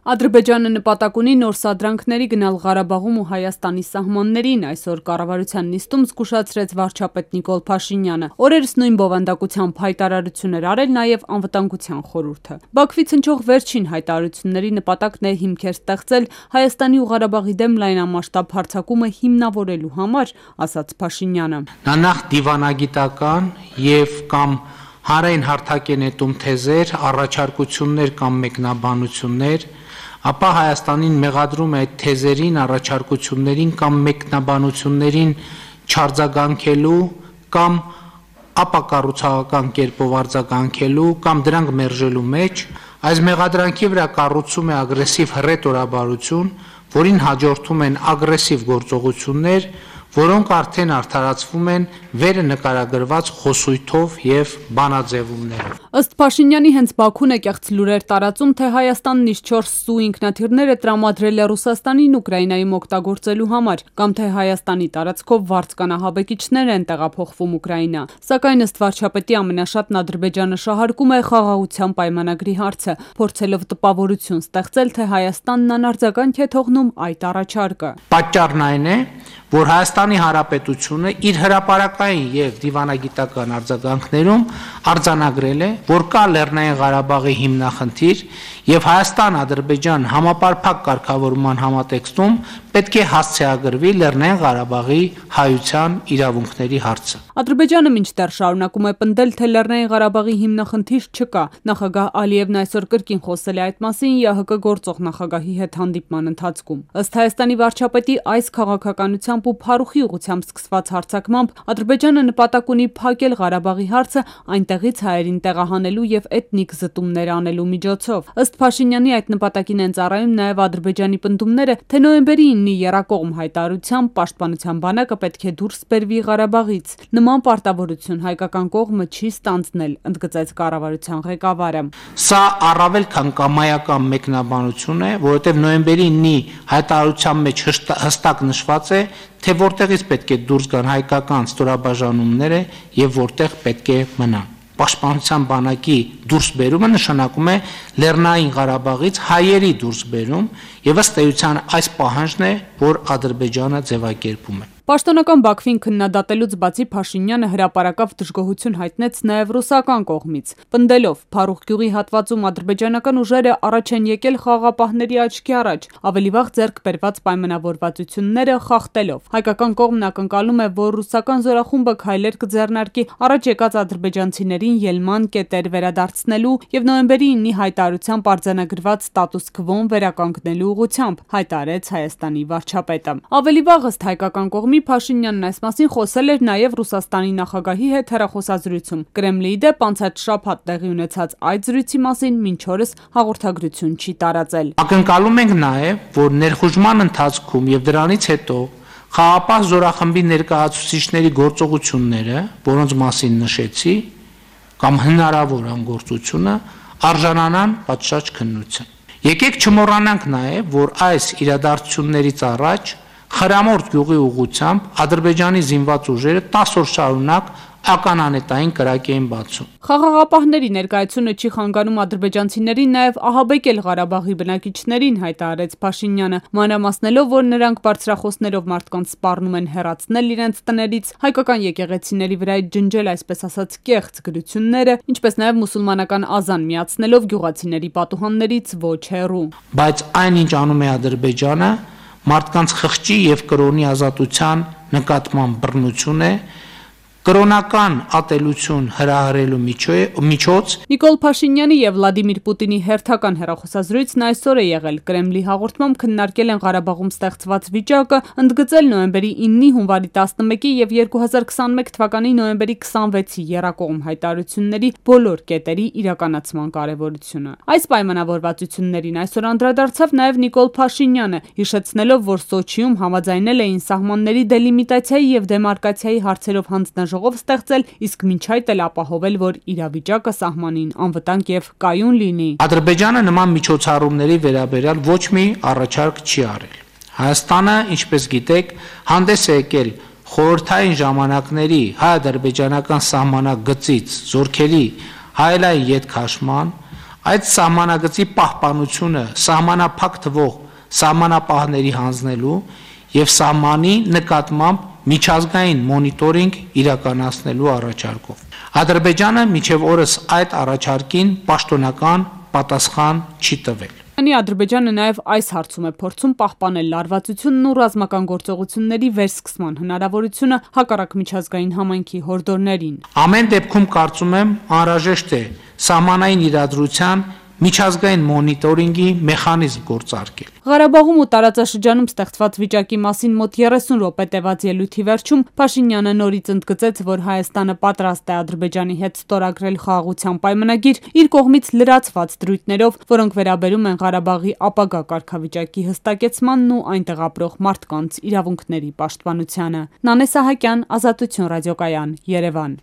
Ադրբեջանը նպատակ ունի նոր սադրանքների գնալ Ղարաբաղում ու Հայաստանի սահմաններին, այսօր կառավարության նիստում զգուշացրեց վարչապետ Նիկոլ Փաշինյանը։ Օրերս նույն բովանդակությամբ հայտարարություն էր արել նաև անվտանգության խորհուրդը։ Բաքվից հնչող վերջին հայտարարությունների նպատակն է հիմքեր ստեղծել Հայաստանի ու Ղարաբաղի դեմ լայնամասշտաբ հարձակումը հիմնավորելու համար, ասաց Փաշինյանը։ Նա նախ դիվանագիտական եւ կամ հանրային հարթակենետում թեզեր, առաջարկություններ կամ մեկնաբանություններ, ապա Հայաստանին մեղադրում է այդ թեզերին, առաջարկություններին կամ մեկնաբանություններին չարձագանքելու կամ ապակառուցողական կերպով արձագանքելու կամ դրանք մերժելու մեջ, այս մեղադրանքի վրա կառուցում է ագրեսիվ հռետորաբարություն, որին հաջորդում են ագրեսիվ գործողություններ, որոնք արդեն արդարացվում են վերը նկարագրված խոսույթով եւ բանաձևումներով։ Ըստ Փաշինյանի հենց Բաքուն է կեղծ լուրեր տարածում, թե Հայաստանն իր 4 սու ինքնաթիռներ է տրամադրել է Ռուսաստանին Ուկրաինայում օգտագործելու համար, կամ թե Հայաստանի տարածքով վարձկանահաբեկիչներ են տեղափոխվում Ուկրաինա։ Սակայն ըստ վարչապետի ամենաշատն Ադրբեջանը շահարկում է խաղաղության պայմանագրի հարցը, փորձելով տպավորություն ստեղծել, թե Հայաստանն անարձագանք է թողնում այդ առաջարկը։ Պատճառն այն է, որ Հայաստանի Հանրապետությունը իր հրապարակային եւ դիվանագիտական արձագանքներում արձանագրել է, որ կա Լեռնային Ղարաբաղի հիմնախնդիր եւ Հայաստան-Ադրբեջան համապարփակ կարգավորման համատեքստում պետք է հասցեագրվի Լեռնային Ղարաբաղի հայության իրավունքների հարցը։ Ադրբեջանը մինչդեռ շարունակում է պնդել, թե Լեռնային Ղարաբաղի հիմնախնդիր չկա։ Նախագահ Ալիևն այսօր կրկին խոսել է այդ մասին ՀՀԿ գործող նախագահի հետ հանդիպման ընթացքում։ Ըստ Հայաստանի վարչապետի այս քաղաքականությամբ ու փարուխի ուղղությամբ սկսված հարձակմամբ Ադրբեջանը նպատակ ունի փակել Ղարաբաղի հարցը այնտեղից հայերին տեղահանելու եւ էթնիկ զտումներ անելու միջոցով։ Ըստ Փաշինյանի այդ նպատակին են ծառայում նաեւ Ադրբեջանի պնդումները, թե նոյեմբերի 9-ի եռակողմ հայտարարությամբ պաշտպանության բանակը պետք է դուրս բերվի Ղարաբաղից։ Նման պարտավորություն հայկական կողմը չի ստանձնել, ընդգծեց կառավարության ղեկավարը։ Սա առավել քան կամայական մեկնաբանություն է, որովհետև նոյեմբերի 9-ի հայտարարության մեջ հստակ նշված է, թե որտեղից պետք է դուրս գան հայկական ստորաբաժանումները եւ որտեղ պետք է մնան։ Պաշտպանության բանակի դուրսբերումը նշանակում է Լեռնային Ղարաբաղից հայերի դուրսբերում եւ ըստ էության այս պահանջն է, որ Ադրբեջանը ձևակերպում է։ Պաշտոնական Բաքվին քննադատելուց բացի Փաշինյանը հրապարակավ դժգոհություն հայտնեց նաև ռուսական կողմից, պնդելով Փարուխ գյուղի հատվածում ադրբեջանական ուժերը առաջ են եկել խաղաղապահների աչքի առաջ, ավելի վաղ ձեռք բերված պայմանավորվածությունները խախտելով։ Հայկական կողմն ակնկալում է, որ ռուսական զորախումբը քայլեր կձեռնարկի առաջ եկած ադրբեջանցիներին ելման կետեր վերադարձնելու եւ նոյեմբերի 9-ի հայտարարությամբ արձանագրված ստատուս քվոն վերականգնելու ուղղությամբ, հայտարարեց Հայաստանի վարչապետը։ Ավելի վաղ ըստ հայկական կողմի Փաշինյանն այս մասին խոսել էր նաև Ռուսաստանի նախագահի հետ հեռախոսազրույցում։ Կրեմլիի դեպ անցած շաբաթ տեղի ունեցած այդ զրույցի մասին մինչ օրս հաղորդագրություն չի տարածել։ Ակնկալում ենք նաև, որ ներխուժման ընթացքում եւ դրանից հետո խաղաղապահ զորախմբի ներկայացուցիչների գործողությունները, որոնց մասին նշեցի, կամ հնարավոր անգործությունը արժանանան պատշաճ քննության։ Եկեք չմոռանանք նաև, որ այս իրադարձություններից առաջ Խրամորդ գյուղի ուղղությամբ Ադրբեջանի զինված ուժերը 10 օր շարունակ ականանետային կրակ էին բացում։ Խաղաղապահների ներկայությունը չի խանգարում ադրբեջանցիներին նաև ահաբեկել Ղարաբաղի բնակիչներին, հայտարարեց Փաշինյանը, մանրամասնելով, որ նրանք բարձրախոսներով մարդկանց սպառնում են հեռացնել իրենց տներից, հայկական եկեղեցիների վրա ջնջել այսպես ասած կեղծ գրությունները, ինչպես նաև մուսուլմանական ազան միացնելով գյուղացիների պատուհաններից ոչ հեռու։ Բայց այնինչ անում է Ադրբեջանը մարդկանց խղճի եւ կրոնի ազատության նկատմամբ բռնություն է, կրոնական ատելություն հրահրելու միջոց։ Նիկոլ Փաշինյանի եւ Վլադիմիր Պուտինի հերթական հեռախոսազրույցն այսօր է եղել։ Կրեմլի հաղորդմամբ քննարկել են Ղարաբաղում ստեղծված վիճակը, ընդգծել նոյեմբերի 9-ի, հունվարի 11-ի եւ 2021 թվականի նոյեմբերի 26-ի եռակողմ հայտարարությունների բոլոր կետերի իրականացման կարեւորությունը։ Այս պայմանավորվածություններին այսօր անդրադարձավ նաեւ Նիկոլ Փաշինյանը, հիշեցնելով, որ Սոչիում համաձայնել էին սահմանների դելիմիտացիայի եւ դեմարկացիայի հարցերով հանձնաժողով ստեղծել, իսկ մինչ այդ էլ ապահովել, որ իրավիճակը սահմանին անվտանգ եւ կայուն լինի։ Ադրբեջանը նման միջոցառումների վերաբերյալ ոչ մի առաջարկ չի արել։ Հայաստանը, ինչպես գիտեք, հանդես է եկել խորհրդային ժամանակների հայ-ադրբեջանական սահմանագծից զորքերի հայելային ետքաշման, Այդ սահմանագծի պահպանությունը սահմանափակ թվող սահմանապահների հանձնելու եւ սահմանի նկատմամբ միջազգային մոնիտորինգ իրականացնելու առաջարկով։ Ադրբեջանը մինչև օրս այդ առաջարկին պաշտոնական պատասխան չի տվել։ Ադրբեջանը նաև այս հարցում է փորձում պահպանել լարվածությունն ու ռազմական գործողությունների վերսկսման հնարավորությունը հակառակ միջազգային համայնքի հորդորներին։ Ամեն դեպքում կարծում եմ անհրաժեշտ է սահմանային իրադրության միջազգային մոնիտորինգի մեխանիզմ գործարկել։ Ղարաբաղում ու տարածաշրջանում ստեղծված վիճակի մասին մոտ 30 րոպե տևած ելույթի վերջում Փաշինյանը նորից ընդգծեց, որ Հայաստանը պատրաստ է Ադրբեջանի հետ ստորագրել խաղաղության պայմանագիր իր կողմից լրացված դրույթներով, որոնք վերաբերում են Ղարաբաղի ապագա կարգավիճակի հստակեցմանն ու այնտեղ ապրող մարդկանց իրավունքների պաշտպանությանը։ Նանե Սահակյան, Ազատություն ռադիոկայան, Երևան։